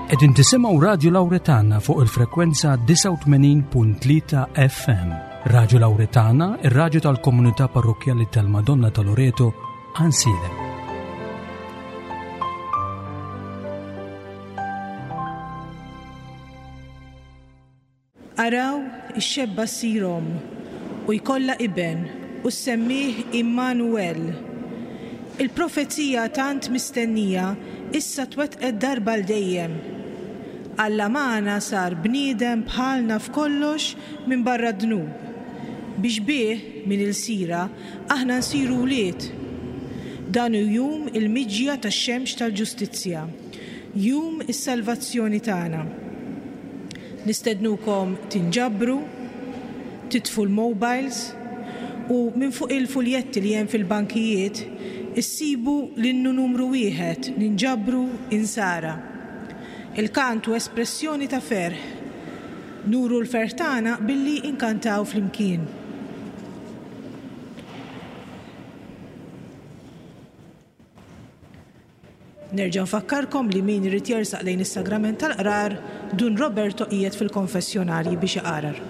Qegħdin tisimgħu Radju Lawretana fuq il-frekwenza 89.3 FM. Radju Lawretana, ir-radju tal-komunità parrokkjali tal-Madonna ta' Loreto, Ansilem. Araw, ix-xebba ssir omm, u jkollha iben, u ssemmih Għimmanu-El. Il-profezija tant mistennija issa twettqet darba għal dejjem. Alla magħna sar bniedem bħalna f'kollox minbarra d-dnub, biex bih, minn ilsira, aħna nsiru wlied. Dan hu jum il-miġja tax-xemx tal-ġustizzja. Jum is-salvazzjoni tagħna. Nistednukom tinġabru, titfu l-mobiles u minn fuq il-fuljetti li hemm fil-bankijiet issibu l-innu numru wieħed Ninġabru Insara. Il-kant hu espressjoni ta' ferħ. Nuru l-ferħ tagħna billi nkantaw flimkien. Nerġa' nfakkarkom li min irid jersaq lejn is-Sagrament tal-Qrar, Dun Roberto qiegħed fil-konfessjonarji biex iqarar.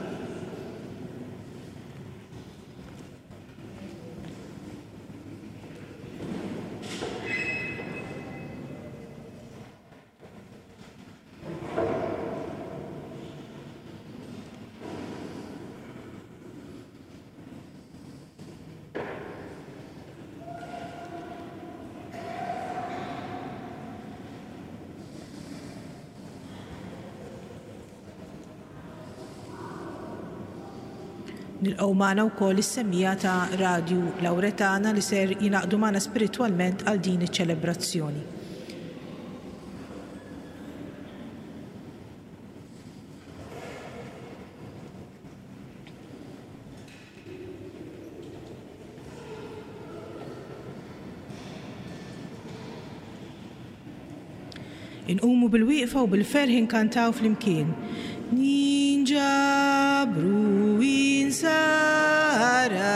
Nilqgħu magħna wkoll is-semmiegħa ta' Radju Lawretana li ser jingħaqdu magħna spiritwalment għal din iċ-ċelebrazzjoni. Inqumu bil-wieqfa u bil-ferħ inkantaw flimkien. Ninġabru insara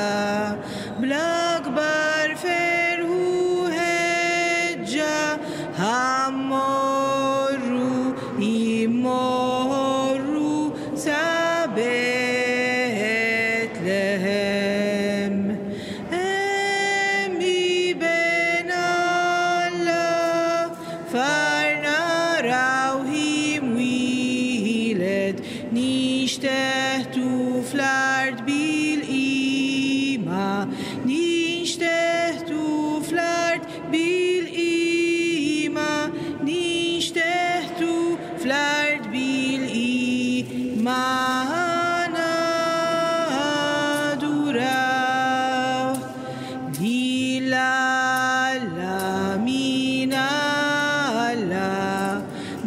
bl-akbar ferħ u ħeġġa ħa mmorru immorru sa Betlehem. Hemm Iben Alla far narawh imwieled nixteħtu fl-art bil-qima nixteħtu fl-art bil-qima nixteħtu fl-art bil-qima naduraw lil Alla min Alla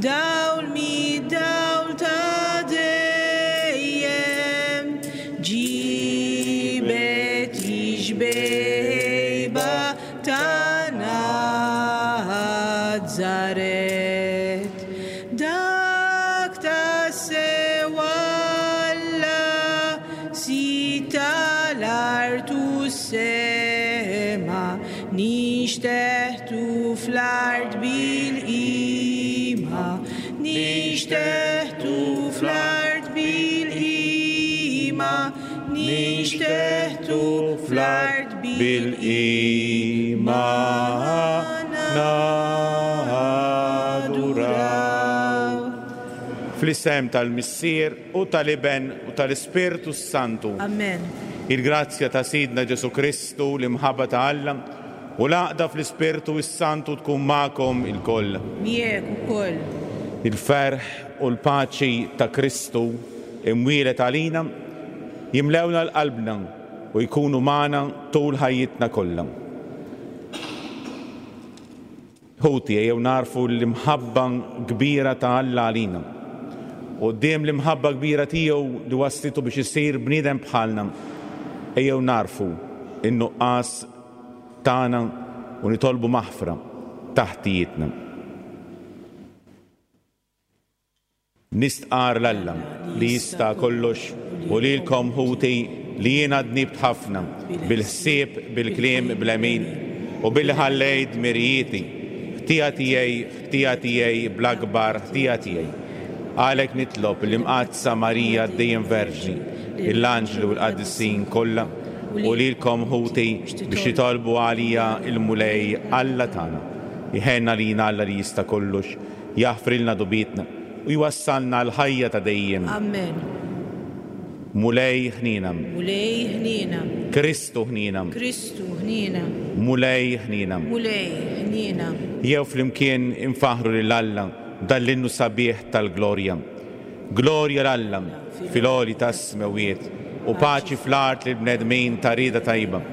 dawl mid-dawl ta' dejjem ġibet ix-xbejba ta' Nazaret. Dak tassew Alla, Sid tal-art u s-sema, nixteħtu fl-art bil-qima, nixteħtu fl-art bil-qima, nixteħtu fl-art bil-qima naduraw. Fl-isem tal-Missier u tal-Iben u tal-Ispirtu s-Santu. Amen. Il-grazzja ta' Sidna Ġesù Kristu, l-imħabba ta' Alla, u l-għaqda fl-Ispirtu s-Santu tkun magħkom ilkoll. Miegħek ukoll. Il-ferħ u l-paċi ta' Kristu imwieled għalina jimlewna l-qalbna u jkunu magħna tul ħajjitna kollha. Ħuti, ejjew nagħrfu l-imħabba kbira ta' Alla għalina. Quddiem l-imħabba kbira tiegħu li wasslitu biex isir bniedem bħalna, ejjew nagħrfu n-nuqqas tagħna u nitolbu maħfra ta' ħtijietna. Nistqarr 'l Alla li jista' kollox u lilkom, ħuti, li jiena dnibt ħafna, bil-ħsieb, bil-kliem, bl-għemil, u billi ħallejt dmirijieti. Ħtija tiegħi, ħtija tiegħi, bl-akbar ħtija tiegħi. Għalhekk nitlob lill-Imqaddsa Marija dejjem Verġni, lill-anġli u l-qaddisin kollha, u lilkom ħuti biex titolbu għalija l-Mulej Alla tagħna. Jħenn għalina Alla li jista' kollox, jaħfrilna dubietna, u jwassalna għall-ħajja ta' dejjem. Amen. Mulej ħniena. Mulej ħniena. Kristu ħniena. Kristu ħniena. Mulej ħniena. Mulej ħniena. Jew flimkien infaħħru lil Alla b'dan l-innu sabiħ tal-glorja. Glorja 'l Alla fil-għoli tas-smewwiet u paċi fl-art lill-bnedmin ta' rieda tajba.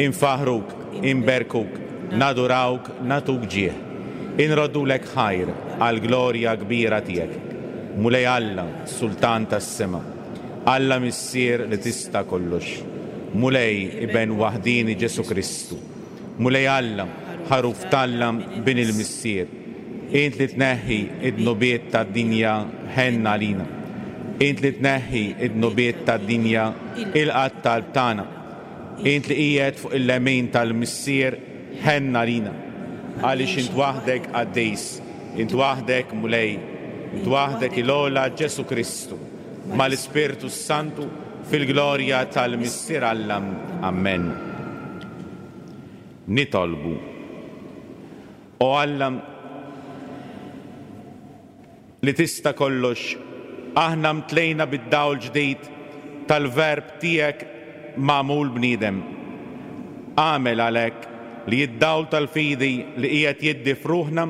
Infaħħruk, inberkuk, nadurawk, nagħtuk ġieħ. Inroddulek ħajr għall-glorja kbira tiegħek. Mulej Alla, Sultan tas-sema, Alla Missier li tista' kollox, Mulej, Iben waħdieni Ġesù Kristu, Mulej Alla, Ħaruf t'Alla, Bin il-Missier, int li tneħħi d-dnubiet tad-dinja, ħenn għalina. Int li tneħħi d-dnubiet tad-dinja, ilqa' t-talb tagħna. Int li qiegħed fuq il-lemin tal-Missier, ħenn għalina. Għaliex int waħdek qaddis, int waħdek Mulej, int waħdek il-ogħla Ġesù Kristu, mal-Ispirtu s-Santu, fil-glorja tal-Missier Alla. Ammen. Nitolbu. O Alla, li tista' kollox, aħna mtlejna bid-dawl ġdid tal-Verb tiegħek magħmul bniedem. Agħmel għalhekk li d-dawl tal-fidi li qiegħed jiddi f'ruħna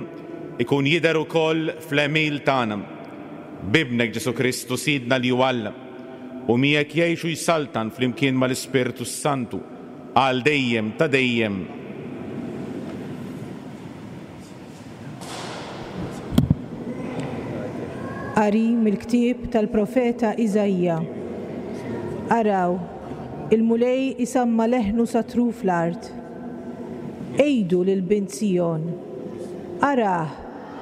jkun jidher ukoll fl-għemil tagħna. B'Ibnek Ġesù Kristu Sidna li hu Alla, u miegħek jgħix u jsaltan flimkien mal-Ispirtu s-Santu, għal dejjem ta' dejjem. Qari mill-ktieb tal-profeta Iżaija. Araw, il-Mulej isamma' leħnu sa truf l-art. Għidu lil bint Sijon, Arah,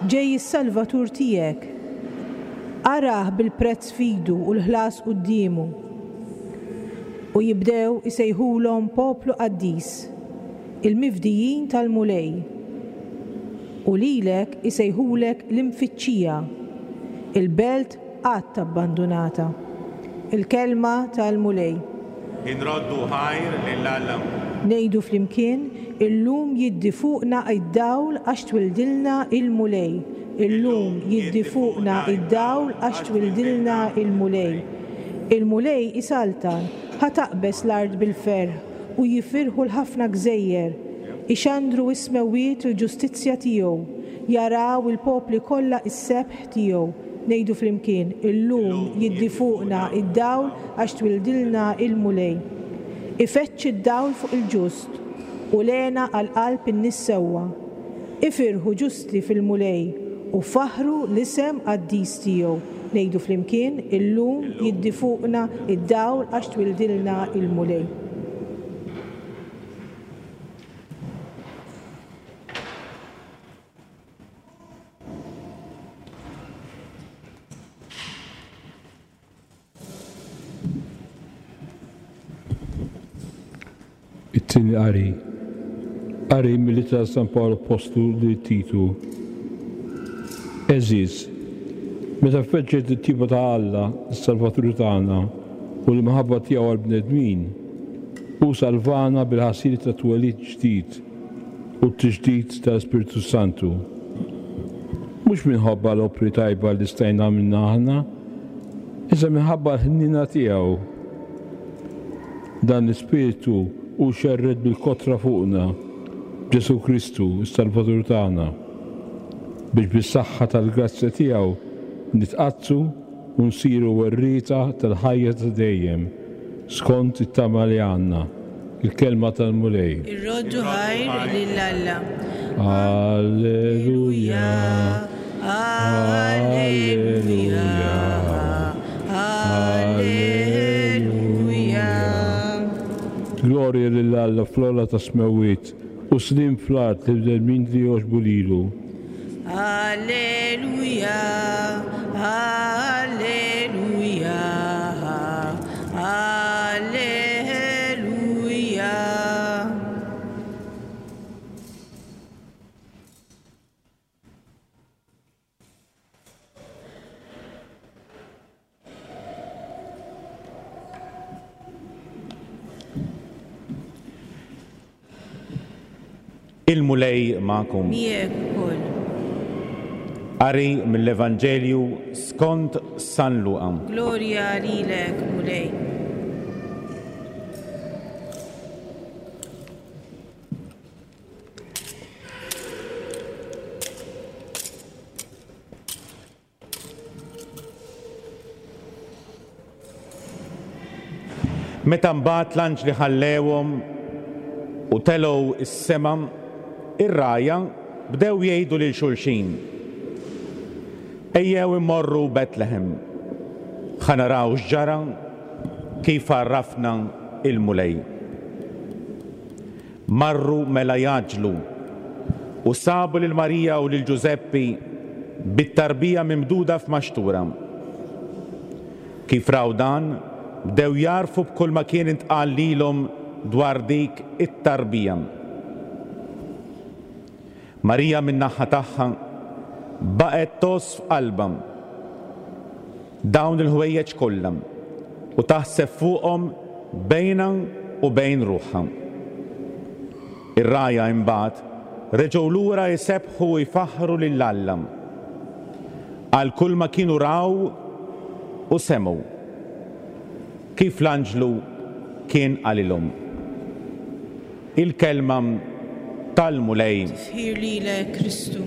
ġej is-Salvatur tiegħek! Arah bil-prezz f'idu u l-ħlas quddiemu. U jibdew isejħulhom poplu qaddis. Il-mifdijin tal-Mulej. U lilek isejħulek l-imfittxija, il-belt qatt abbandunata. Il-kelma tal-Mulej. Inroddu ħajr lil Alla. Ngħidu flimkien, Illum jiddi fuqna d-dawl għax twildilna il-Mulej. Illum jiddi fuqna d-dawl għax twildilna il-Mulej. Il-Mulej isaltan, ħa taqbeż l-art bil-ferħ. U jifirħu l-ħafna gżejjer, ixandru s-smewwiet il-ġustizzja tiegħu, jaraw il-popli kollha s-sebħ tiegħu. Ngħidu flimkien, Illum jiddi fuqna d-dawl għax twildilna il-Mulej. Ifeġġ id-dawl fuq il-ġust, u l-hena għal qalb in-nies sewwa. Ifirħu ġusti fil-Mulej, u faħħru l-isem qaddis tiegħu. Ngħidu flimkien, Illum jiddi fuqna d-dawl għax twildilna l-Mulej. It-tieni qari. Qari mill-Ittra ta' San Pawl Appostlu lil Titu. Għeżież, meta feġġet it-tjieba ta' Alla, is-Salvatur tagħna, u l-imħabba tiegħu għall-bnedmin, hu salvana bil-ħasil ta' twelid ġdid u t-tiġdid tal-Ispirtu s-Santu. Mhux minħabba l-opri tajba li stajna għamilna aħna, iżda minħabba l-ħniena tiegħu. Dan l-Ispirtu hu xerred bil-kotra fuqna b'Ġesù Kristu, is-Salvatur tagħna, biex bis-saħħa tal-grazzja tiegħu nitqaddsu u nsiru werrieta tal-ħajja ta' dejjem, skont it-tama li għandna. Il-Kelma tal-Mulej. Irroddu ħajr lil Alla. Alleluja, Alleluja, Alleluja. Glorja lil Alla fl-ogħla tas-smewwiet, u sliem fl-art lill-bnedmin li jogħġbu lilu. Alleluja, Alleluja, Alleluja. Il-Mulej magħkom. Miegħek ukoll. Qari mill-Evanġelju skont San Luqa. Glorja lilek, Mulej. Meta mbagħad l-anġli ħallewhom u telgħu s-sema, ir-rgħajja bdew jgħidu lil xulxin, Ejjew immorru Betlehem, ħa naraw x'ġara kif għarrafna l-Mulej. Marru mela jgħaġġlu u sabu lil Marija u lil Ġużeppi bit-tarbija mimduda f'maxtura. Kif raw dan, bdew jagħrfu b'kulma kien intqal lilhom dwar dik it-tarbija. Marija min-naħa tagħha baqgħet tgħożż f'qalbha dawn il-ħwejjeġ kollha u taħseb fuqhom bejnha u bejn ruħha. Ir-rgħajja imbagħad reġgħu lura jsebbħu u jfaħħru lil Alla għal kulma kienu raw u semgħu, kif l-anġlu kien qalilhom. Il-Kelma tal-Mulej. Tifħir lilek, Kristu.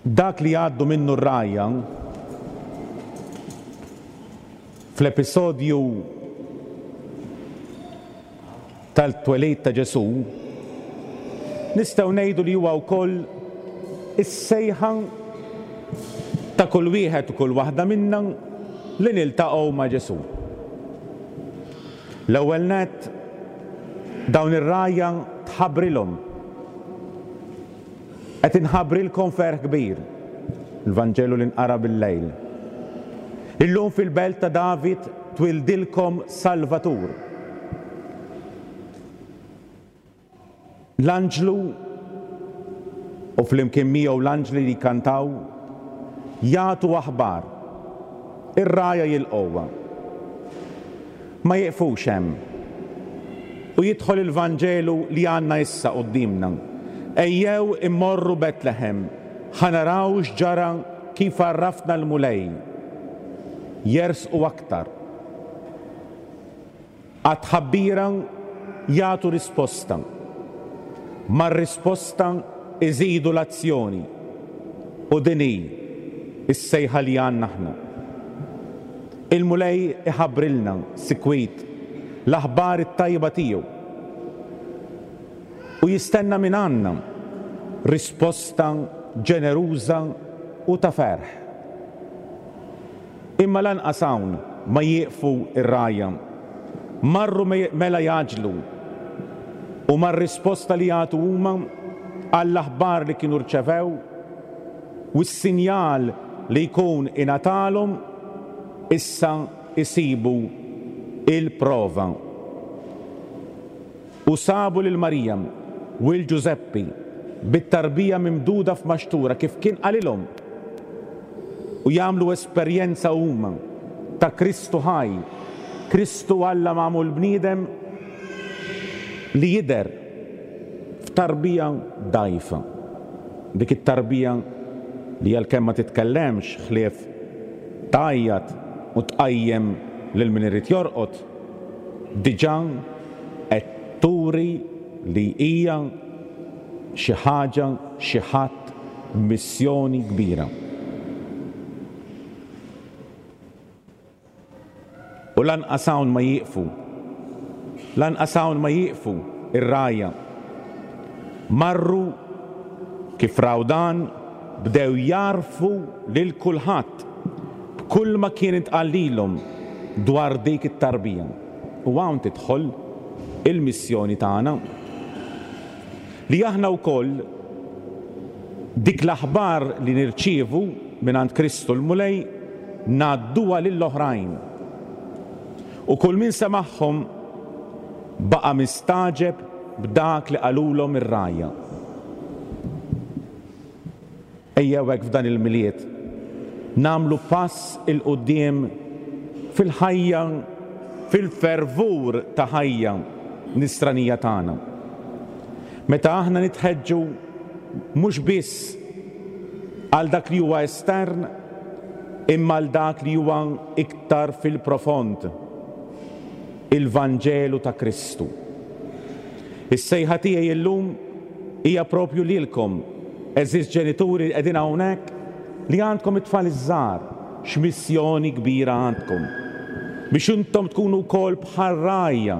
Dak li jgħaddu minnu r-rgħajja fl-episodju tal-twelid ta' Ġesù, nistgħu ngħidu li huwa wkoll is-sejħa ta' kull wieħed u kull waħda minna li niltaqgħu ma' Ġesù. L-ewwel nett, dawn ir-rgħajja tħabbrilhom. Qed inħabbrilkom ferħ kbir, il-Vanġelu li nqara bil-lejl. Illum fil-belt ta' David twildilkom Salvatur. L-anġlu u flimkien miegħu l-anġli li jkantaw jagħtu aħbar. Ir-rgħajja jilqgħuha. Ma jieqfux hemm. U jidħol il-Vanġelu li għandna issa quddiemna. Ejjew immorru Betlehem, ħa naraw x'ġara kif għarrafna l-Mulej. Jersqu aktar. Għat-tħabbira jagħtu risposta. Mar-risposta iżidu l-azzjoni. U din hi s-sejħa li għandna aħna. Il-Mulej iħabbrilna sikwit l-aħbar it-tajba tiegħu u jistenna mingħandna risposta ġeneruża u ta' ferħ. Imma lanqas hawn ma jieqfu r-rgħajja. Marru mela jgħaġġlu u mar-risposta li jagħtu huma għall-aħbar li kienu rċevew u s-sinjal li jkun ingħatalhom, issa jsibu l-prova. U sabu lil Marija u 'l Ġużeppi bit-tarbija mimduda f'maxtura kif kien qalilhom. U jagħmlu esperjenza huma ta' Kristu ħaj, Kristu Alla magħmul bniedem li jidher f'tarbija dgħajfa. Dik it-tarbija li għalkemm ma titkellemx ħlief tgħajjat u tqajjem lil min irid jorqod, diġà qed turi li hija xi ħaġa, xi ħadd b'missjoni kbira. U lanqas hawn ma jieqfu. Lanqas hawn ma jieqfu r-rgħajja. Marru, kif raw dan, bdew jgħarrfu lil kulħadd b'kulma kien intqal lilhom dwar dik it-tarbija. U hawn tidħol il-missjoni tagħna. Li aħna wkoll dik l-aħbar li nirċievu mingħand Kristu l-Mulej ngħadduha lill-oħrajn. U kull min semagħhom baqa' mistagħġeb b'dak li qalulhom ir-rgħajja. Ejjew hekk f'dan il-Milied. Nagħmlu pass 'il quddiem fil-ħajja, fil-fervur ta' ħajja nisranija tagħna. Meta aħna nitħeġġu mhux biss għal dak li huwa estern imma għal dak li huwa iktar fil-profond, il-Vanġelu ta' Kristu. Is-sejħa tiegħi llum hija propju lilkom, għeżież ġenituri li qegħdin hawnhekk, li għandkom it-tfal iż-żgħar, x'missjoni kbira għandkom biex intom tkunu wkoll bħal rgħajja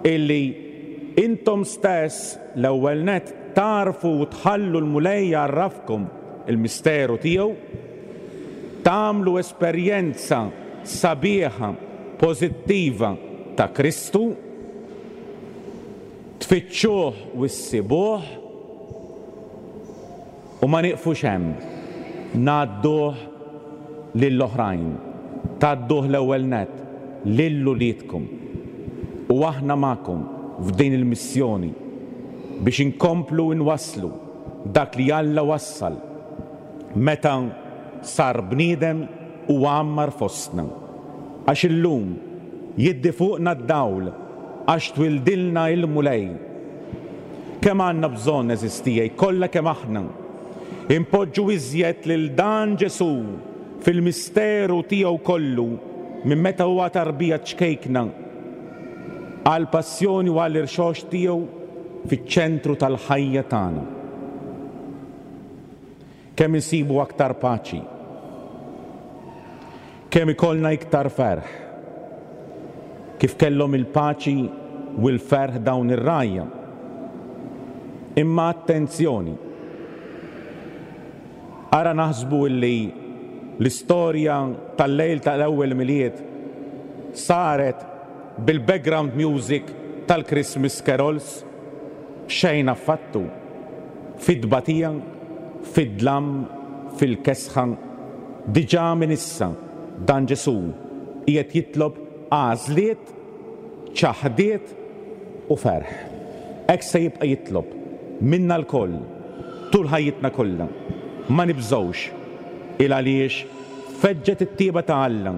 illi intom stess l-ewwel nett tagħrfu u tħallu l-Mulej jgħarrafkom il-misteru tiegħu, tagħmlu esperjenza sabiħa, pożittiva ta' Kristu, tfittxuh u ssibuh, U ma nieqfux hemm, ngħadduh lil oħrajn. Tgħadduh l-ewwel nett lil uliedkom. U aħna magħkom f'din il-missjoni biex inkomplu nwasslu dak li Alla wassal meta sar bniedem u għammar fostna. Għax illum jiddi fuqna d-dawl għax twildilna il-Mulej. Kemm għandna bżonn, għeżież tiegħi, kollha kemm aħna, inpoġġu iżjed lil dan Ġesù fil-misteru tiegħu kollu minn meta huwa tarbija ċkejkna għall-passjoni u għall-irxoxt tiegħu fiċ-ċentru tal-ħajja tagħna. Kemm insibu aktar paċi. Kemm ikollna iktar ferħ. Kif kellhom il-paċi u l-ferħ dawn ir-rgħajja. Imma attenzjoni! Ara naħsbu illi l-istorja tal-lejl tal-ewwel Milied saret bil-background music tal-Christmas carols. Xejn affattu. Fit-tbatija, fid-dlam, fil-kesħa, diġà minn issa dan Ġesù qiegħed jitlob għażliet, ċaħdiet u ferħ. Hekk se jibqa' jitlob minna lkoll tul ħajjitna kollha. Ma nibżgħux, il għaliex feġġet it-tjieba ta' Alla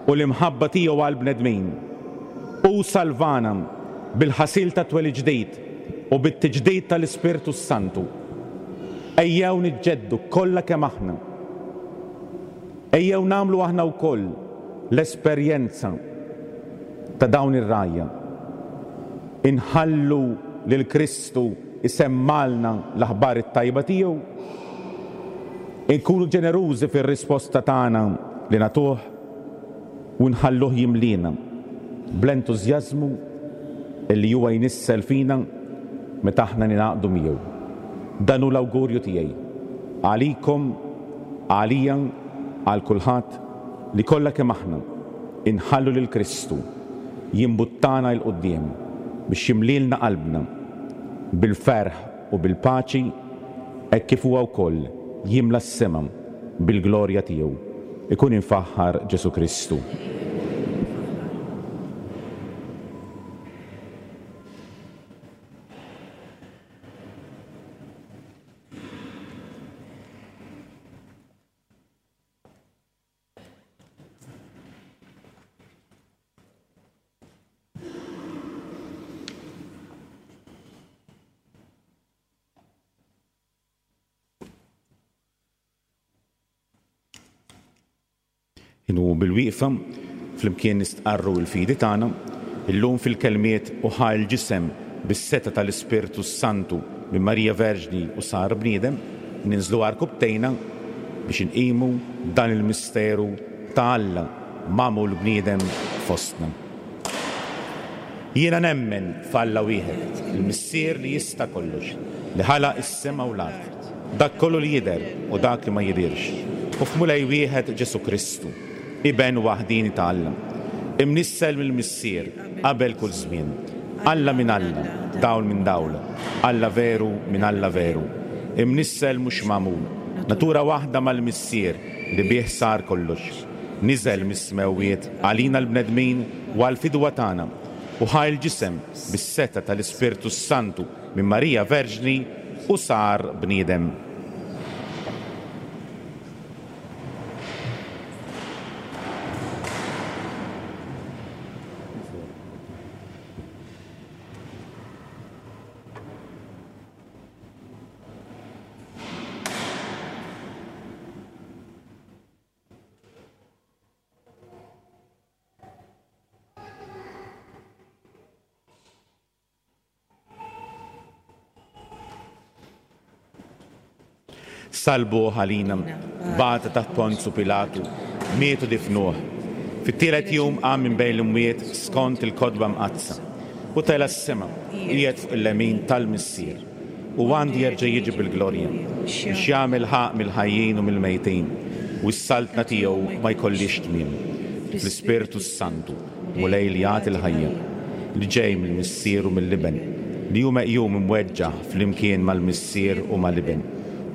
u l-imħabba tiegħu għall-bnedmin. Hu salvana bil-ħasil tat-twelid ġdid u bit-tiġdid tal-Ispirtu s-Santu. Ejjew niġġeddu kollha kemm aħna. Ejjew nagħmlu aħna wkoll l-esperjenza ta' dawn ir-rgħajja. Inħallu lil Kristu jsemmgħalna l-aħbar it-tajba tiegħu. Inkunu ġenerużi fir-risposta tagħna li nagħtuh. u nħalluh jimliena bl-entużjażmu li huwa jnissel fina meta aħna ningħaqdu miegħu. Dan hu l-awgurju tiegħi għalikom, għalija, għal kulħadd, li kollha kemm aħna nħallu lil Kristu jimbuttana 'l quddiem biex jimlielna qalbna bil-ferħ u bil-paċi hekk kif huwa wkoll jimla s-sema bil-glorja tiegħu. Ikun imfaħħar Ġesù Kristu. Inqumu bil-wieqfa, flimkien nistqarru l-fidi tagħna, illum fil-kelmiet u ħa l-ġisem bis-setgħa tal-Ispirtu s-Santu minn Marija Verġni u sar bniedem, ninżlu għarkupptejna biex inqimu dan il-misteru ta' Alla magħmul bniedem fostna. Jiena nemmen f'Alla wieħed, il-Missier li jista' kollox, li ħalaq is-sema u l-art, dak kollu li jidher u dak li ma jidhirx, u f'Mulej wieħed Ġesù Kristu, Iben waħdieni ta' Alla, imnissel mill-Missier qabel kull żmien, Alla minn Alla, dawl minn dawl, Alla veru minn Alla veru, imnissel mhux magħmul, natura waħda mal-Missier li bih sar kollox. Niżel mis-smewwiet għalina l-bnedmin u għall-fidwa tagħna, u ħa l-ġisem bis-setgħa tal-Ispirtu s-Santu minn Marija Verġni u sar bniedem. Sallbuh għalina, bata taħt Ponzu Pilatu, miet u difnuh. Fit-tielet jum qam minn bejn l-imwiet skont il-Kotba Mqaddsa, u tela' s-sema, u qiegħed fuq il-lemin tal-Missier, u għandu jerġa' jiġi bil-glorja, biex jagħmel ħaqq mill-ħajjin u mill-mejtin, u s-saltna tiegħu ma jkollhiex tmiem. Fl-Ispirtu s-Santu. Mulej li jagħti l-ħajja, li ġej mill-Missier u mill-Iben, li hu meqjum imweġġah flimkien mal-Missier u mal-Iben,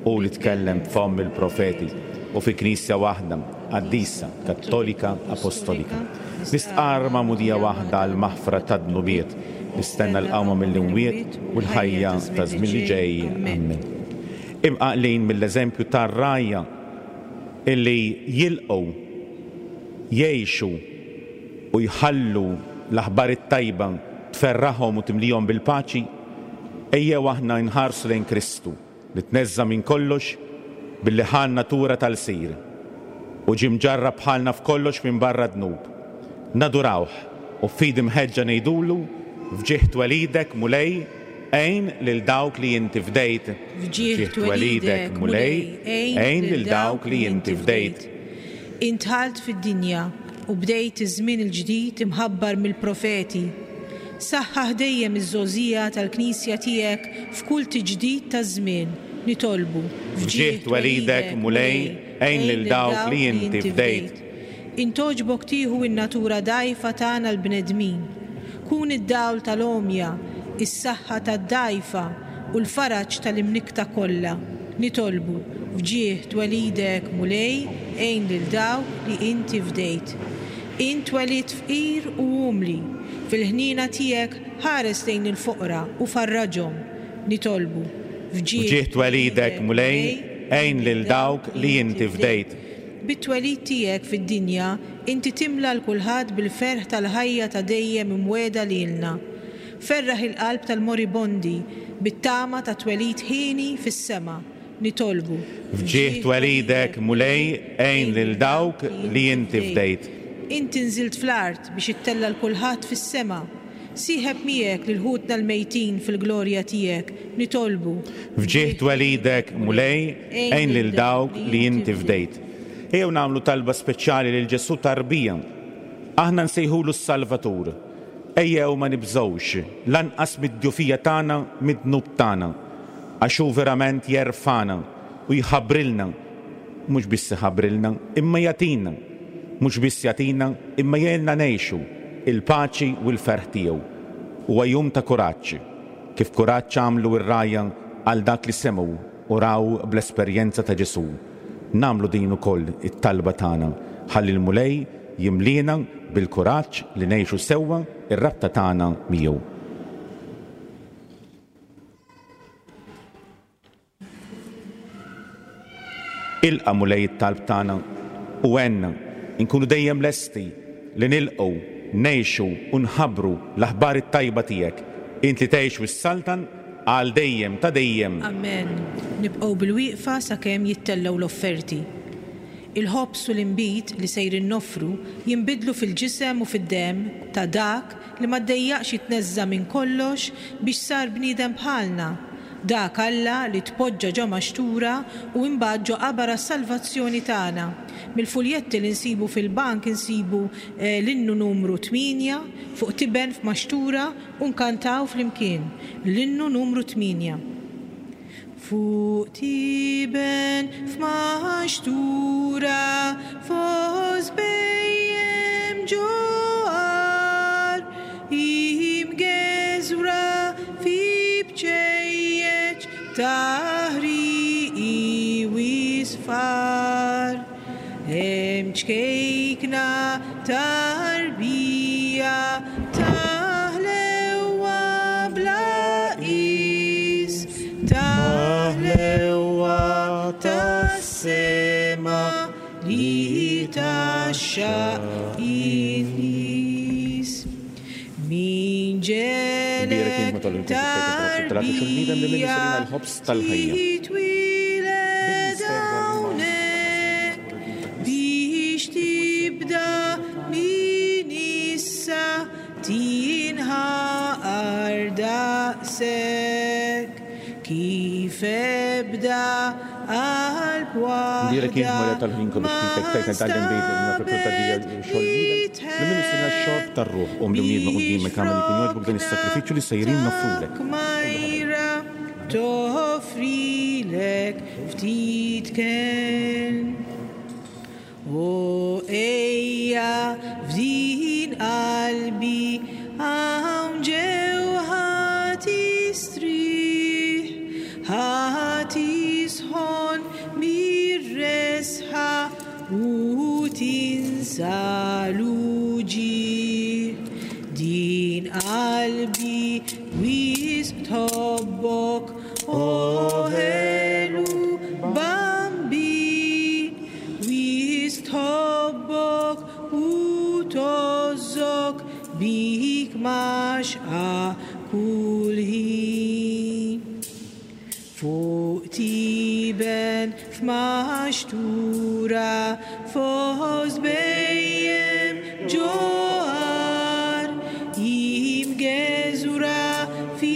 hu li tkellem b'fomm il-profeti, u fi Knisja waħda, qaddisa, kattolika, apostolika. Nistqarr magħmudija waħda għall-maħfra tad-dnubiet, nistenna l-qawma mill-imwiet u l-ħajja taż-żmien li ġej. Ammen. Imqanqlin mill-eżempju tar-rgħajja illi jilqgħu, jgħixu u jħallu l-aħbar it-tajba tferraħhom u timlihom bil-paċi, ejjew aħna nħarsu lejn Kristu li tneżża' minn kollox billi ħa n-natura ta' lsir u ġie mġarrab bħalna f'kollox minbarra d-dnub. Nadurawh u b'fidi mħeġġa ngħidulu, F'ġieħ twelidek, Mulej, għin lil dawk li inti fdejt. F'ġieħ twelidek, Mulej, għin lil dawk li inti fdejt. Int dħalt fid-dinja u bdejt iż-żmien il-ġdid imħabbar mill-profeti. Saħħaħ dejjem iż-żgħożija tal-Knisja tiegħek f'kull tiġdid taż-żmien, nitolbu. F'ġieħ twelidek, Mulej, għin lil dawk li inti fdejt. Int għoġbok tieħu n-natura dgħajfa tagħna l-bnedmin. Kun id-dawl tal-għomja, is-saħħa tad-dgħajfa, u l-faraġ tal-imnikkta kollha. Nitolbu, f'ġieħ twelidek, Mulej, għin lil dawk li inti fdejt. Int twelidt fqir u umli. Fil-ħniena tiegħek ħares lejn il-foqra u farraġhom. Nitolbu, f'ġieħ F'ġieħ twelidek, Mulej, għin lil dawk li inti fdejt. Bit-twelid tiegħek fid-dinja, inti timla 'l kulħadd bil-ferħ tal-ħajja ta' dejjem imwiegħda lilna. Ferraħ il-qalb tal-moribondi bit-tama ta' twelid hieni fis-sema. Nitolbu. F'ġieħ twelidek, Mulej, għin lil dawk li inti fdejt. Inti nżilt fl-art biex ittella' 'l kulħadd fis-sema. Sieħeb miegħek lil ħutna l-mejtin fil-glorja tiegħek. Nitolbu. F'ġieħ twelidek, Mulej, għin lil dawk li inti fdejt. Ejjew nagħmlu talba speċjali lil Ġesù tarbija. Aħna nsejħulu s-Salvatur. Ejjew ma nibżgħux, lanqas mid-djufija tagħna, mid-dnub tagħna, għax hu verament jerfagħna u jħabbrilna, mhux biss iħabbrilna, imma jagħtina, mhux biss jagħtina, imma jgħinna ngħixu l-paċi u l-ferħ tiegħu. Huwa jum ta' kuraġġ, kif kuraġġ għamlu r-rgħajja għal dak li semgħu u raw bl-esperjenza ta' Ġesù. Nagħmlu din ukoll it-talba tagħna, ħalli l-Mulej jimliena bil-kuraġġ li ngħixu sewwa r-rabta tagħna miegħu. Ilqa' Mulej it-talb tagħna u għenna nkunu dejjem lesti li nilqgħu, ngħixu u nħabbru l-aħbar it-tajba tiegħek, int li tgħix u ssaltan għal dejjem ta' dejjem. Amen. Nibqgħu bilwieqfa sakemm jittellgħu l-offerti. Il-ħobż u l-inbid li sejrin noffru jinbidlu fil-ġisem u fid-demm ta' Dak li ma ddejjaqx jitneżża' minn kollox biex sar bniedem bħalna, dak Alla li tpoġġa ġo maxtura u imbagħad ġo qabar għas-salvazzjoni tagħna. Mill-fuljetti li nsibu fil-bank insibu l-innu numru tmienja, Fuq tiben f'maxtura u nkantaw flimkien l-innu numru tmienja. Fuq tiben f'maxtura fost bhejjem ġo għar, imgeżwra fi bċejjeċ ta' ħrieqi wisfar. Hemm ċkejkna tarbija ta' ħlewwa bla qis, ta' ħlewwa tas-sema li tgħaxxaq in-nies. Min ġelek tarbija titwieled hawnhekk biex tibda minn issa tinħaqar daqshekk kif ebda. Nbierek int waħda Marija tal-ħin kollu ma xtitek tajtna tgħallem bejn nafek ta' dija nstabet xogħol bniedem. li Li minnu sirna x-xorb tħenn tar-ruħ qum li wliedna biex quddiemek agħmel li jkun jogħġbok dan flokna is-sagrifiċċju li sejrin ta' noffrulek. kmajra toffrilek ftit kenn. O ejja f'din qalbi hawn ġew ħa tistrieħ, ħa tisħon mir-resħa u tinsa l-uġigħ. Din qalbi wisq tħobbok, o ħelu Bambin, wisq tħobbok u tgħożżok bik mgħaxxqa kull ħin. Fuq tiben f'maxtura fost bhejjem ġo għar imgeżwra fi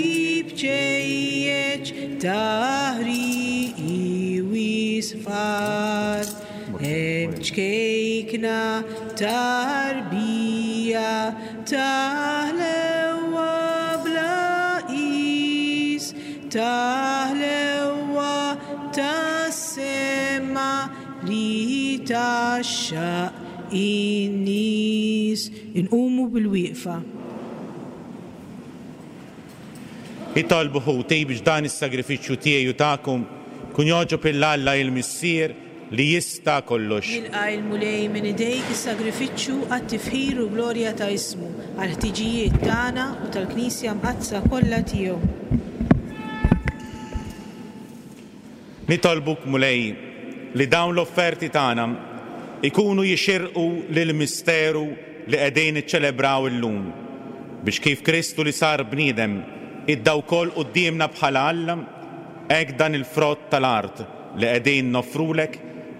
bċejjeċ ta' ħrieqi u isfar. Hemm ċkejkna tarbija ta' ħlewwa bla qis, ta' ħlewwa tas-sema li tgħaxxaq in-nies. Inqumu bil-wieqfa. Itolbu ħuti biex dan is-sagrifiċċju tiegħi u tagħkom jkun jogħġob 'il Alla il-Missier li jista' kollox. Jilqa' il-Mulej minn idejk is-sagrifiċċju għat-tifħir u glorja ta' ismu, għall-ħtiġijiet tagħna u tal-Knisja Mqaddsa kollha tiegħu. Nitolbuk, Mulej, li dawn l-offerti tagħna jkunu jixirqu lill-misteru li qegħdin niċċelebraw illum, biex kif Kristu li sar bniedem idda wkoll quddiemna bħala Alla, hekk dan il-frott tal-art li qegħdin noffrulek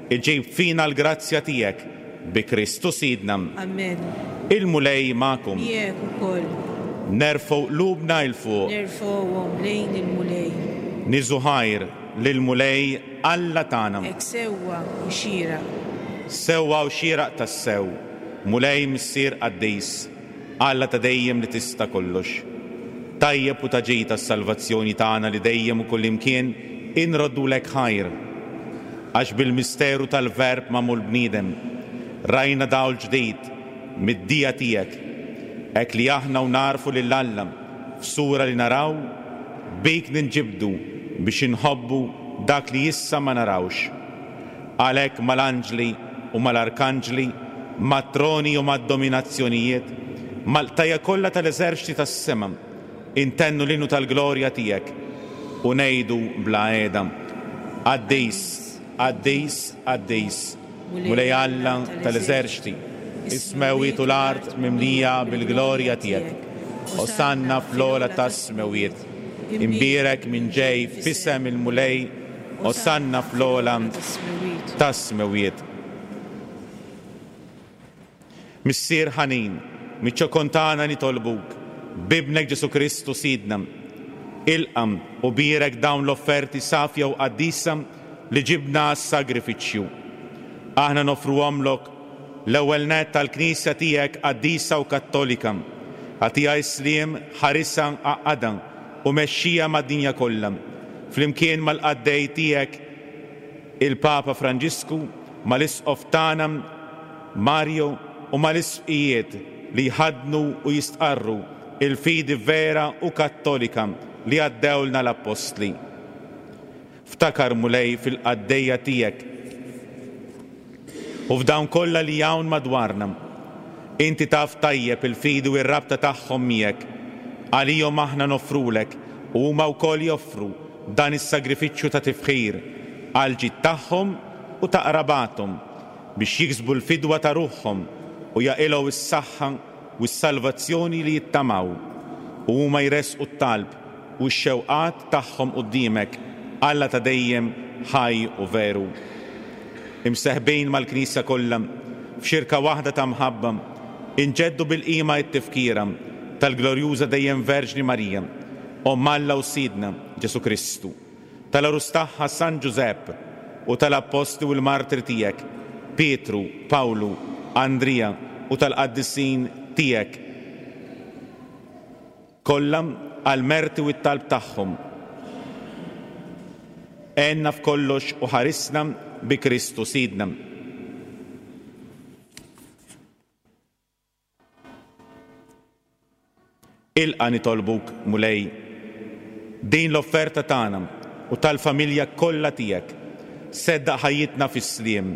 iġib fina l-grazzja tiegħek bi Kristu Sidna. Amen. Il-Mulej magħkom. Miegħek ukoll. Nerfgħu qlubna 'l fuq. Nerfgħuhom lejn il-Mulej. Niżu ħajr lill-Mulej Alla tagħna. Hekk sewwa u xieraq. Sewwa u xieraq tassew, Mulej Missier qaddis, Alla ta' dejjem li tista' kollox. Tajjeb u ta' ġid għas-salvazzjoni tagħna li dejjem u kullimkien inroddulek ħajr. Għax bil-misteru tal-Verb magħmul bniedem, rajna dawl ġdid mid-dija tiegħek, hekk li aħna u nagħrfu lil Alla f'sura li naraw, bik ninġibdu biex inħobbu dak li issa ma narawx. Għalhekk mal-anġli u mal-arkanġli, mat-troni u mad-dominazzjonijiet, mal-qtajja kollha tal-eżerċti tas-sema, intennu l-innu tal-glorja tiegħek u ngħidu bla qiegħda, Qaddis, qaddis, qaddis, Mulej Alla tal-eżerċti, is-smewwiet u l-art mimlija bil-glorja tiegħek. Osanna fl-ogħla tas-smewwiet. Imbierek min ġej f'isem il-Mulej, Osanna fl-ogħla tas-smewwiet. Missier ħanin, miċ-ċokon tagħna nitolbuk, b'Ibnek Ġesù Kristu Sidna, ilqa' u bierek dawn l-offerti safja u qaddisa li ġibna għas-sagrifiċċju. Aħna noffruhomlok l-ewwel nett għall-Knisja tiegħek qaddisa u kattolika. Agħtiha s-sliem, ħarisha, għaqqadha u mexxiha mad-dinja kollha, flimkien mal-qaddej tiegħek il-Papa Franġisku, mal-Isqof tagħna Mario u mal-Isqfijiet li jħaddnu u jistqarru l-fidi vera u kattolika li għaddewlna l-Appostli. Ftakar, Mulej, fil-qaddejja tiegħek u f'dawn kollha li hawn madwarna. Inti taf tajjeb il-fidi u r-rabta tagħhom miegħek. Għalihom aħna noffrulek u huma wkoll joffru dan is-sagrifiċċju ta' tifħir għall-ġid tagħhom u ta' qrabathom, biex jiksbu l-fidwa ta' ruħhom u jaqilgħu s-saħħa u s-salvazzjoni li jittamaw, u huma jressqu t-talb u x-xewqat tagħhom quddiemek, Alla ta' dejjem, ħaj u veru. Imseħbin mal-Knisja kollha, f'xirka waħda ta' mħabba, inġeddu bil-qima t-tifkira tal-glorjuża dejjem Verġni Marija, Omm Alla u Sidna, Ġesù Kristu, tal-għarus tagħha San Ġużepp. u tal-Appostli u l-Martri tiegħek, Pietru, Pawlu, Andrija, u tal-qaddisin tiegħek kollha għall-merti u t-talb tagħhom. Għenna f'kollox u ħarisna bi Kristu Sidna. Ilqa' nitolbuk, Mulej, din l-offerta tagħna u tal-familja kollha tiegħek. Seddaq ħajjitna fis-sliem.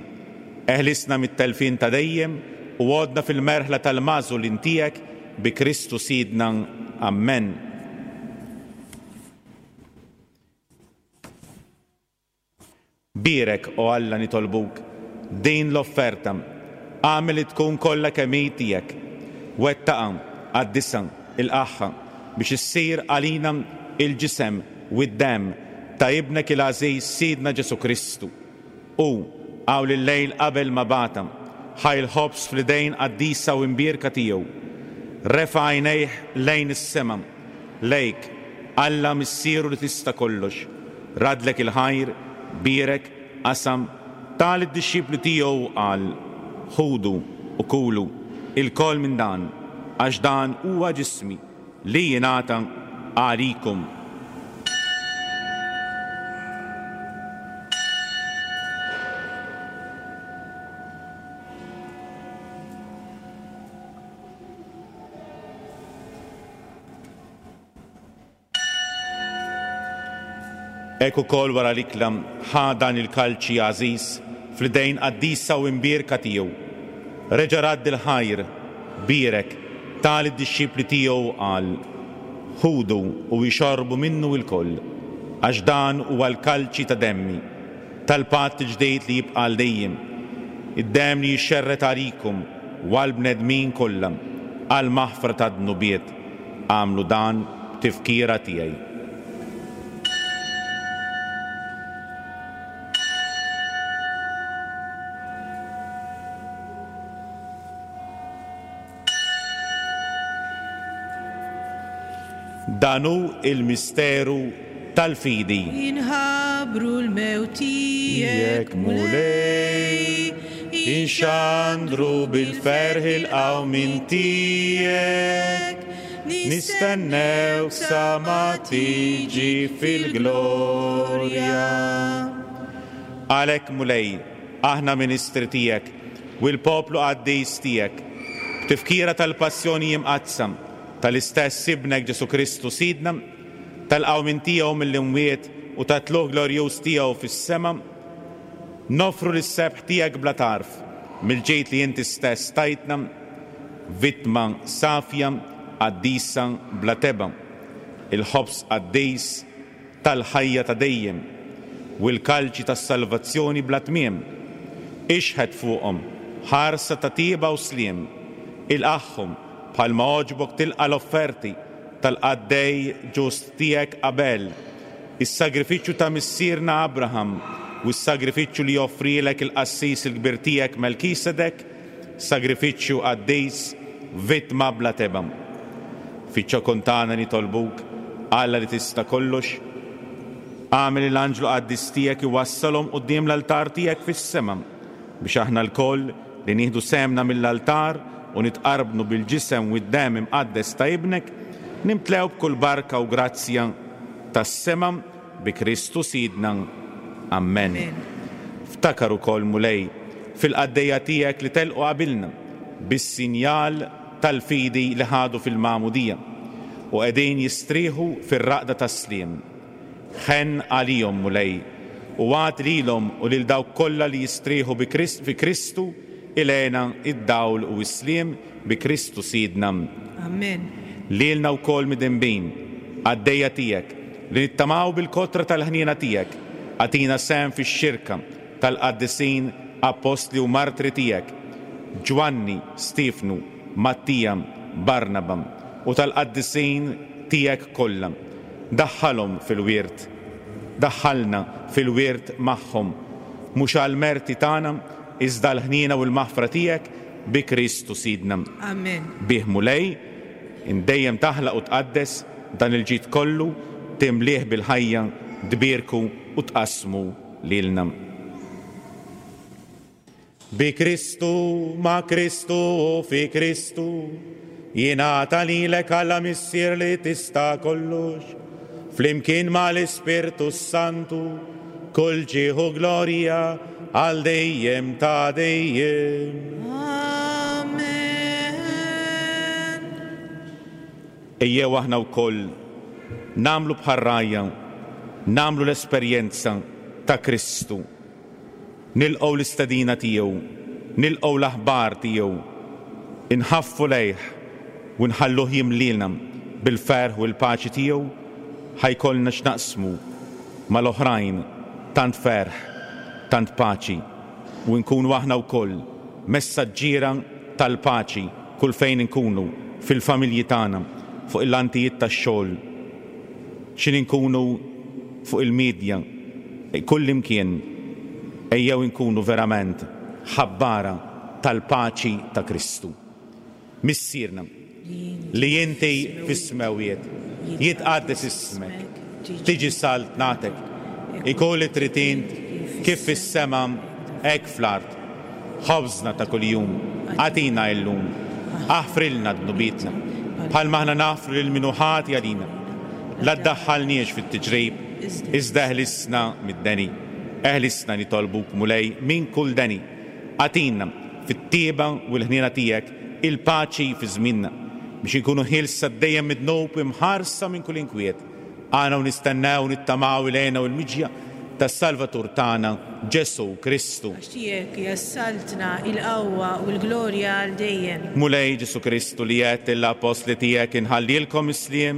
Eħlisna mit-telfien ta' dejjem u għoddna fil-merħla tal-magħżulin tiegħek bi Kristu Sidna. Ammen. Bierek, o Alla, nitolbuk, din l-offerta. Agħmel li tkun kollha kemm hi tiegħek. Wettaqha, qaddisha, ilqagħha, biex issir għalina l-ġisem u d-demm ta' Ibnek il-għażiż Sidna Ġesù Kristu. Hu, hawn il-lejl qabel ma bagħatha, ħa l-ħobż fl-idejn qaddisa u imbierka tiegħu. Refa' għajnejh lejn is-sema. Lejk, Alla Missieru li tista' kollox, raddlek il-ħajr, bierek, qasam, ta lid-dixxipli tiegħu u qal, Ħudu u kulu ilkoll minn dan, għax dan huwa ġismi li jingħata għalikom. Hekk ukoll wara l-ikla ħa dan il-kalċi għażiż fl-idejn qaddisa u imbierka tiegħu. Reġa' radd il-ħajr, bierek, ta lid-dixxipli tiegħu u qal, Ħudu u ixorbu minnu ilkoll, għax dan huwa l-kalċi ta' demmi, tal-patt il-ġdid li jibqa' għal dejjem, id-demm li jixxerred għalikom u għall-bnedmin kollha għall-maħfra tad-dnubiet. Agħmlu dan b'tifkira tiegħi. Dan hu l-misteru tal-fidi. Inħabbru l-mewt tiegħek, Mulej, inxandru bil-ferħ il-qawmien tiegħek, nistennewk sa ma tiġi fil-glorja. Għalhekk, Mulej, aħna ministri tiegħek u l-poplu qaddis tiegħek, b'tifkira tal-Passjoni Imqaddsa tal-istess Ibnek Ġesù Kristu Sidna, tal-qawmien tiegħu mill-imwiet u tat-tlugħ glorjuż tiegħu fis-sema, noffru lis-sebħ tiegħek bla tarf mill-ġid li inti stess tajtna, vittma safja, qaddisa, bla tebgħa, il-ħobż qaddis tal-ħajja ta' dejjem u l-kalċi tas-salvazzjoni bla tmiem. Ixħet fuqhom ħarsa ta' tieba u sliem, ilqagħhom bħalma għoġbok tilqa' l-offerti tal-qaddej ġust tiegħek Abel, is-sagrifiċċju ta' missierna Abraham u s-sagrifiċċju li joffrielek il-qassis il-kbir tiegħek Melkisedek, sagrifiċċju qaddis, vittma bla tebgħa. Fiċ-ċokon tagħna nitolbuk, Alla li tista' kollox, agħmel li l-anġlu qaddis tiegħek iwassalhom quddiem l-altar tiegħek fis-sema, biex aħna lkoll li nieħdu sehemna mill-altar u nitqarbnu bil-ġisem u d-demm imqaddes ta' Ibnek, nimtlew b'kull barka u grazzja tas-sema bi Kristu Sidna. Ammen. Ftakar ukoll, Mulej, fil-qaddejja tiegħek li telqu qabilna bis-sinjal tal-fidi li ħadu fil-magħmudija u qegħdin jistrieħu fir-raqda tas-sliem. Ħenn għalihom, Mulej, u agħti lilhom u lil dawk kollha li jistrieħu bi fi Kristu il-hena, id-dawl u s-sliem bi Kristu Sidna. Ammen. Lilna wkoll midinbin, qaddejja tiegħek, li nittamaw bil-kotra tal-ħniena tiegħek, agħtina sehem fix-xirka tal-qaddisin, appostli u martri tiegħek, Ġwanni, Stiefnu, Mattija, Barnaba, u tal-qaddisin tiegħek kollha. Daħħalhom fil-wirt, daħħalna fil-wirt magħhom, mhux għall-merti tagħna, iżda għall-ħniena u l-maħfra tiegħek bi Kristu Sidna. Amen. Bih Mulej, int dejjem taħlaq u tqaddes dan il-ġid kollu, timlieh bil-ħajja, tbierku u tqassmu lilna. Bi Kristu, ma' Kristu u fi Kristu, jingħata lilek Alla Missier li tista' kollox, flimkien mal-Ispirtu s-Santu, kull ġieħ u glorja għal dejjem ta' dejjem. Amen. Ejjew aħna wkoll nagħmlu bħar-rgħajja, nagħmlu l-esperjenza ta' Kristu. Nilqgħu l-istedina tiegħu, nilqgħu l-aħbar tiegħu, inħaffu lejh u nħalluh jimlielna bil-ferħ u l-paċi tiegħu, ħa jkollna x'naqsmu mal-oħrajn tant ferħ, tant paċi u nkunu aħna wkoll messaġġiera tal-paċi kull fejn inkunu, fil-familji tagħna, fuq il-lantijiet tax-xogħol, x'in inkunu fuq il-midja, kullimkien, ejjew inkunu verament ħabbara tal-paċi ta' Kristu. Missierna, li inti fis-smewwiet, jitqaddes ismek, tiġi saltnatek, ikun li trid int kif fis-sema hekk fl-art. Ħobżna ta' kuljum agħtina illum. Aħfrilna dnubietna, bħalma aħna naħfru lil min hu ħati għalina. La ddaħħalniex fit-tiġrib, iżda eħlisna mid-deni. Eħlisna nitolbuk, Mulej, minn kull deni. Agħtina, fit-tjieba u l-ħniena tiegħek, il-paċi fi żmienna, biex inkunu ħielsa dejjem mid-dnub u imħarsa minn kull inkwiet. Aħna u nistennew u nittamaw il-hena u l-miġja tas-Salvatur tagħna, Ġesù Kristu. Għax tiegħek hija s-saltna, il-qawwa u l-glorja għal dejjem. Mulej Ġesù Kristu li għedt lill-appostli tiegħek inħallilkom is-sliem,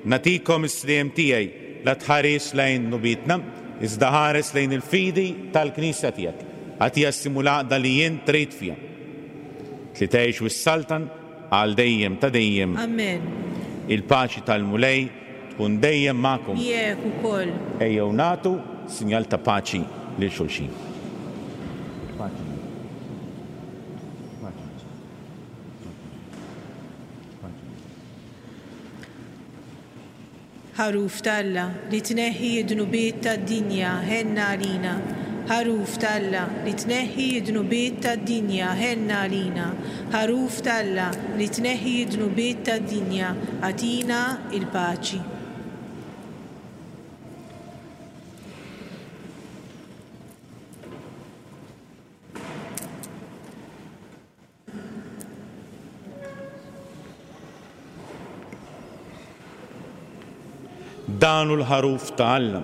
nagħtikom is-sliem tiegħi, la tħarisx lejn dnubietna, iżda ħares lejn il-fidi tal-Knisja tiegħek. Agħtiha s-sliem u l-għaqda li int trid fiha. Li tgħix u ssaltan għal dejjem ta' dejjem. Amen. Il-paċi tal-Mulej tkun dejjem magħkom. Miegħek ukoll. Ejjew nagħtu sinjal ta' paċi lil xulxin. Paċi. Paċi. Paċi. Ħaruf t'Alla, li tneħħi d-dnubiet tad-dinja, ħenn għalina. Ħaruf t'Alla, li tneħħi d-dnubiet tad-dinja, ħenn għalina. Ħaruf t'Alla, li tneħħi d-dnubiet tad-dinja, agħtina l-paċi. Dan hu l-Ħaruf ta' Alla,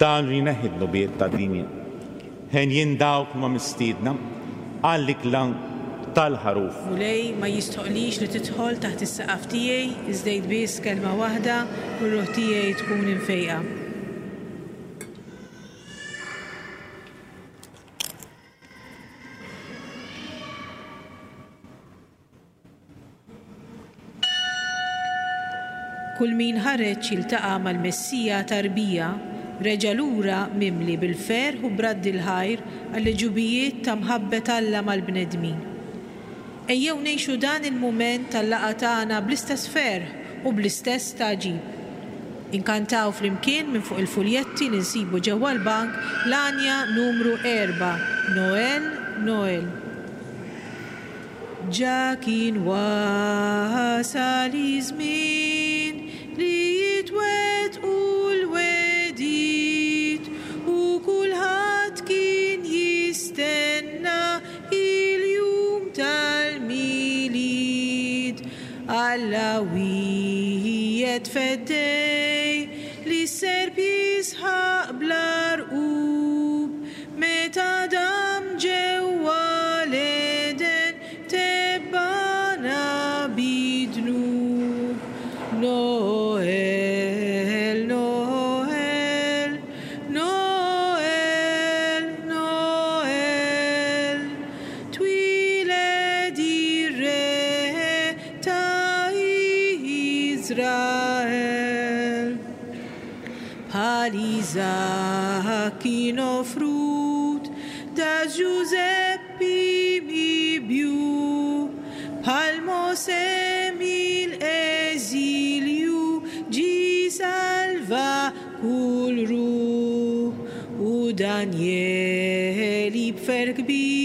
dan li jneħħi d-dnubiet tad-dinja. Henjin dawk li huma mistiedna għall-ikla tal-Ħaruf. Mulej, ma jistħoqqlix li tidħol taħt is-saqaf tiegħi, iżda għid biss kelma waħda u r-ruħ tiegħi tkun imfejqa. Kull min ħareġ jiltaqa' mal-Messija tarbija, reġa' lura mimli bil-ferħ u b'radd il-ħajr għall-għeġubijiet ta' mħabbet Alla mal-bnedmin. Ejjew ngħixu dan il-mument tal-laqgħa tagħna bl-istess ferħ u bl-istess stagħġib. Inkantaw flimkien minn fuq il-fuljetti li nsibu ġewwa l-bank l-għanja numru erbgħa, Noel, Noel. Ġa kien wasal iż-żmien li jitwettqu l-wegħdiet u kulħadd kien jistenna il-jum tal-Milied. Alla wiegħed feddej li s-serp jisħaq bla rqub meta dam ġewwa l-Għeden tebbagħna bid-dnub. Noel, Noel, Noel, Noel, Twieled ir-Re ta' Iżrael. Bħal Iżakk kien offrut, da Ġużeppi mibjugħ, bħal Mosè mill-eżilju ġie salva kull ruħ, u Danjeli b'ferħ kbir.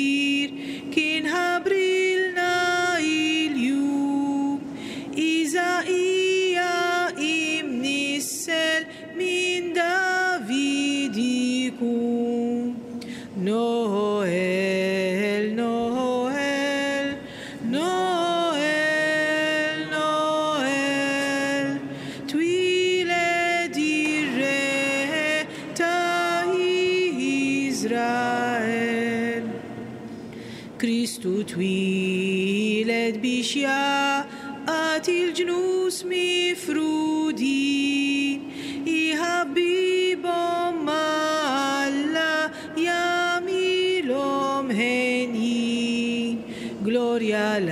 Kristu twieled biex jgħaqqad il-ġnus mifrudin, iħabbibhom ma' Alla, jagħmilhom henjin. Glorja 'l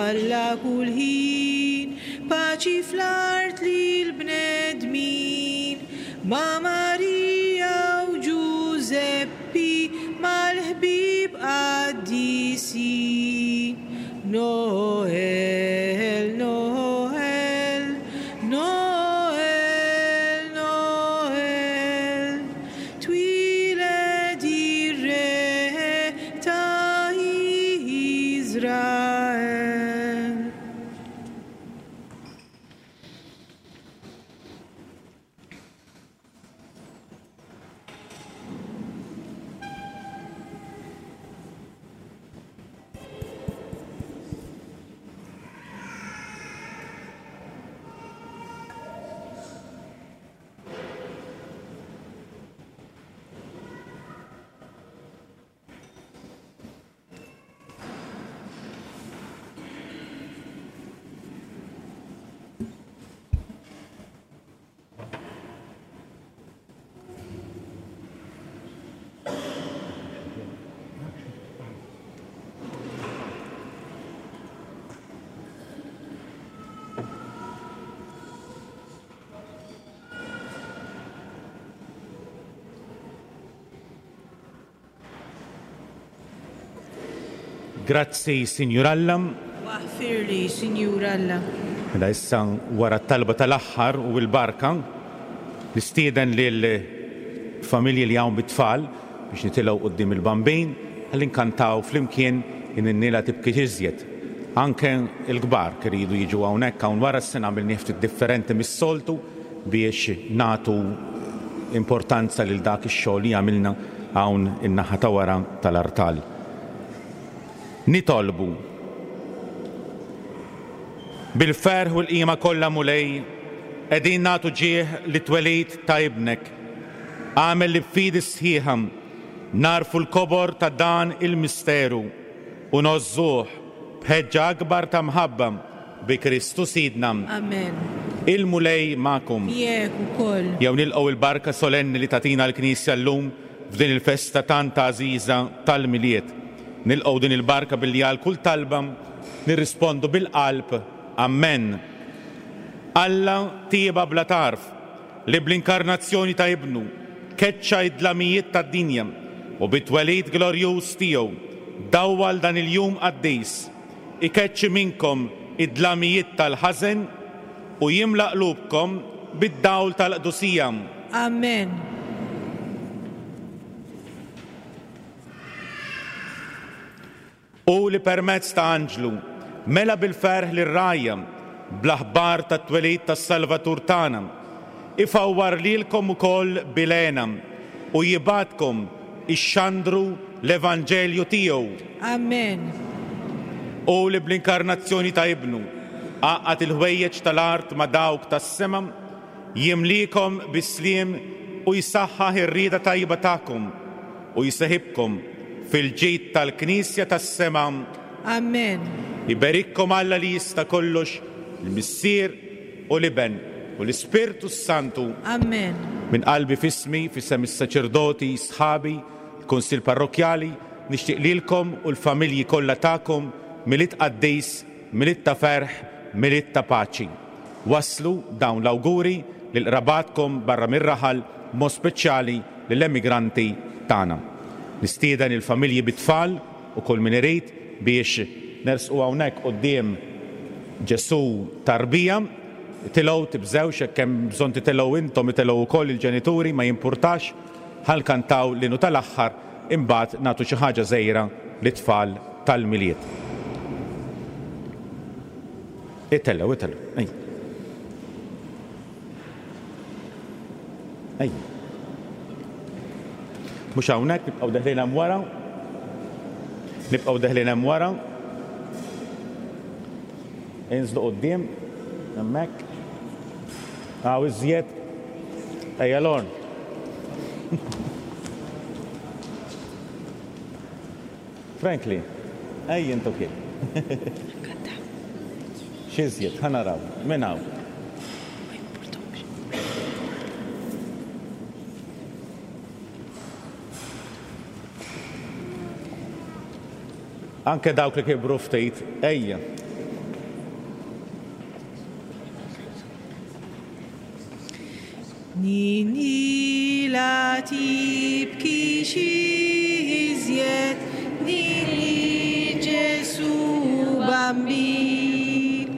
Alla kull ħin, paċi fl-art lill-bnedmin. Ma' Marija u Ġużeppi, mal-ħbieb qaddisin. Noel, Noel, Noel, Noel, twieled ir-Re ta' Iżrael. Grazzi, Sinjur Alla. Waħfirli, Sinjur Alla. Mela issa wara t-talba tal-aħħar u l-barka, nistieden lil familji li hawn bit-tfal biex nitilgħu quddiem il-Bambin ħalli nkantaw flimkien In-Ninnila Tibki Iżjed. Anke l-kbar iridu jiġu hawnhekk hawn wara s-sena għamilnieh ftit differenti mis-soltu biex nagħtu importanza lil dak ix-xogħol li għamilna hawn in-naħa ta' wara tal-artal. Nitolbu. Bil-ferħ u l-qima kollha Mulej, qegħdin nagħtu ġieħ lit-twelid ta' Ibnek. Agħmel li b'fidi sħiħa nagħrfu l-kobor ta' dan il-misteru u ngħożżuh b'ħeġġa akbar ta' mħabba bi Kristu Sidna. Amen. Il-Mulej magħkom. Miegħek ukoll. Jew nilqgħu l-barka solenni li tagħtina l-Knisja llum f'din il-festa tant għażiża tal-Milied. Nilqgħu din il-barka billi għal kull talba nirrispondu bil-qalb Ammen. Alla tieba bla tarf, li bl-inkarnazzjoni ta' Ibnu keċċa d-dlamijiet tad-dinja u bit-twelid glorjuż tiegħu dawwal dan il-jum qaddis, ikeċċi minnkom id-dlamijiet tal-ħażen u jimla qlubkom bid-dawl tal-qdusija. Amen. Hu li permezz ta' anġlu mela bil-ferħ lir-rgħajja bl-aħbar tat-twelid tas-Salvatur tagħna, ifawwar lilkom ukoll bil-hena u jibgħatkom ixxandru l-evanġelju tiegħu. Amen. Hu li bl-inkarnazzjoni ta' Ibnu għaqqad il-ħwejjeġ tal-art ma' dawk tas-sema, jimliekom bis-sliem u jsaħħaħ ir-rieda tajba tagħkom u jseħibkom fil-ġid tal-Knisja tas-sema. Amen. Iberikkom Alla li jista' kollox, il-Missier u l-Iben u l-Ispirtu s-Santu. Amen. Minn qalbi f'ismi, f'isem is-saċerdoti, sħabi, il-Kunsill Parrokkjali, nixtieq lilkom u l-familji kollha tagħkom Milied qaddis, Milied ta' ferħ, Milied ta' paċi. Wasslu dawn l-awguri lil qrabatkom barra mir-raħal, b'mod speċjali lill-emigranti tagħna. Nistieden il-familji bit-tfal u kull min irid biex nersqu hawnhekk quddiem Ġesù tarbija. Itilgħu, tibżgħux, jekk hemm bżonn titilgħu intom itilgħu wkoll il-ġenituri, ma jimpurtax. Ħa nkantaw l-innu tal-aħħar imbagħad nagħtu xi ħaġa żgħira lit-tfal tal-Milied. Itellgħu, itellgħu, ejja. Ejja. Mhux hawnhekk, nibqgħu deħlin hemm wara. Nibqgħu deħlin hemm wara. Inżlu quddiem, hemmhekk. Hawn iżjed. Ejja Lorn. Franklin, ejja int ukoll. X'iżjed, ħa naraw, min hawn? Anke dawk li kibru ftit, ejja. Nini la tibkix iżjed, nini Ġesu Bambin,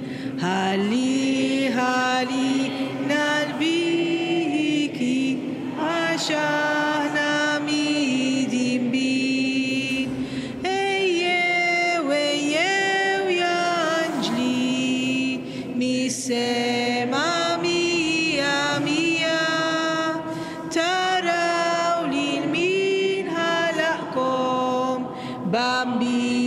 ħalli ħalina l-biki għax aħna midinbin. Ejjew, ejjew ja anġli, mis-sema mija mija, taraw lil min ħalaqkom, Bambin.